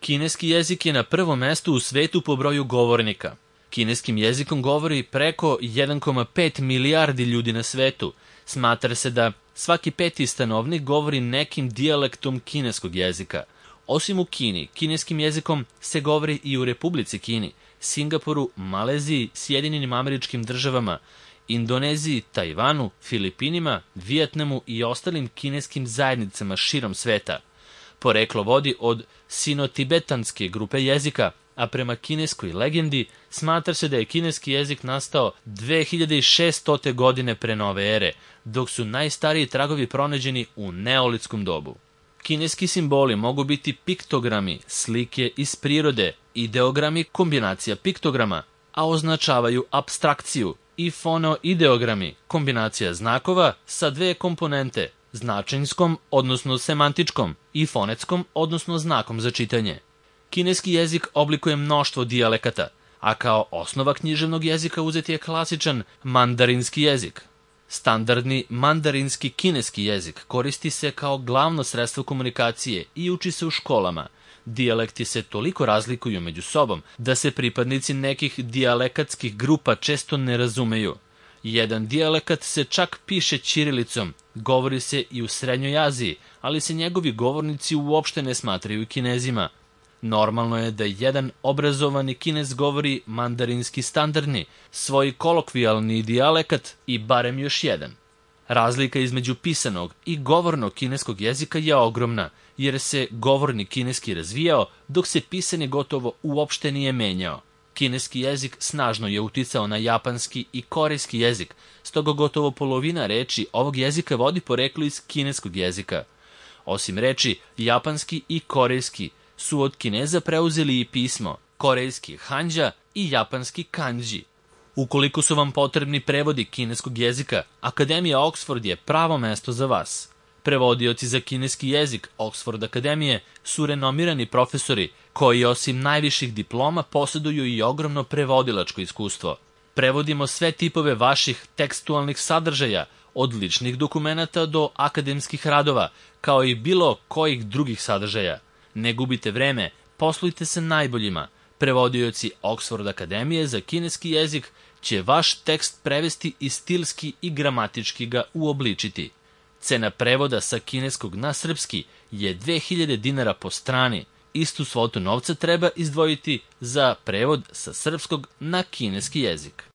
Kineski jezik je na prvom mestu u svetu po broju govornika. Kineskim jezikom govori preko 1,5 milijardi ljudi na svetu. Smatra se da svaki peti stanovnik govori nekim dijalektom kineskog jezika. Osim u Kini, kineskim jezikom se govori i u Republici Kini, Singapuru, Maleziji, Sjedinjenim Američkim Državama, Indoneziji, Tajvanu, Filipinima, Vijetnamu i ostalim kineskim zajednicama širom sveta. Poreklo vodi od sino-tibetanske grupe jezika, a prema kineskoj legendi smatra se da je kineski jezik nastao 2600. godine pre nove ere, dok su najstariji tragovi pronađeni u neolitskom dobu. Kineski simboli mogu biti piktogrami, slike iz prirode, ideogrami, kombinacija piktograma, a označavaju apstrakciju, i fonoideogrami, kombinacija znakova sa dve komponente, značenjskom, odnosno semantičkom, i fonetskom, odnosno znakom za čitanje. Kineski jezik oblikuje mnoštvo dijalekata, a kao osnova književnog jezika uzet je klasičan mandarinski jezik. Standardni mandarinski kineski jezik koristi se kao glavno sredstvo komunikacije i uči se u školama. Dijalekti se toliko razlikuju među sobom da se pripadnici nekih dijalekatskih grupa često ne razumeju. Jedan dijalekat se čak piše ćirilicom, govori se i u Srednjoj Aziji, ali se njegovi govornici uopšte ne smatraju Kinezima. Normalno je da jedan obrazovani Kinez govori mandarinski standardni, svoj kolokvijalni dijalekat i barem još jedan. Razlika između pisanog i govornog kineskog jezika je ogromna, jer se govorni kineski razvijao, dok se pisani gotovo uopšte nije menjao. Kineski jezik snažno je uticao na japanski i korejski jezik, stoga gotovo polovina reči ovog jezika vodi poreklo iz kineskog jezika. Osim reči japanski i korejski su od Kineza preuzeli i pismo, korejski hanja i japanski kanji. Ukoliko su vam potrebni prevodi kineskog jezika, Akademija Oxford je pravo mesto za vas. Prevodioci za kineski jezik Oxford Akademije su renomirani profesori koji osim najviših diploma posjeduju i ogromno prevodilačko iskustvo. Prevodimo sve tipove vaših tekstualnih sadržaja, od ličnih dokumenata do akademskih radova, kao i bilo kojih drugih sadržaja. Ne gubite vreme, poslujte se najboljima. Prevodioci Oxford Akademije za kineski jezik će vaš tekst prevesti i stilski i gramatički ga uobličiti. Cena prevoda sa kineskog na srpski je 2000 dinara po strani. Istu svotu novca treba izdvojiti za prevod sa srpskog na kineski jezik.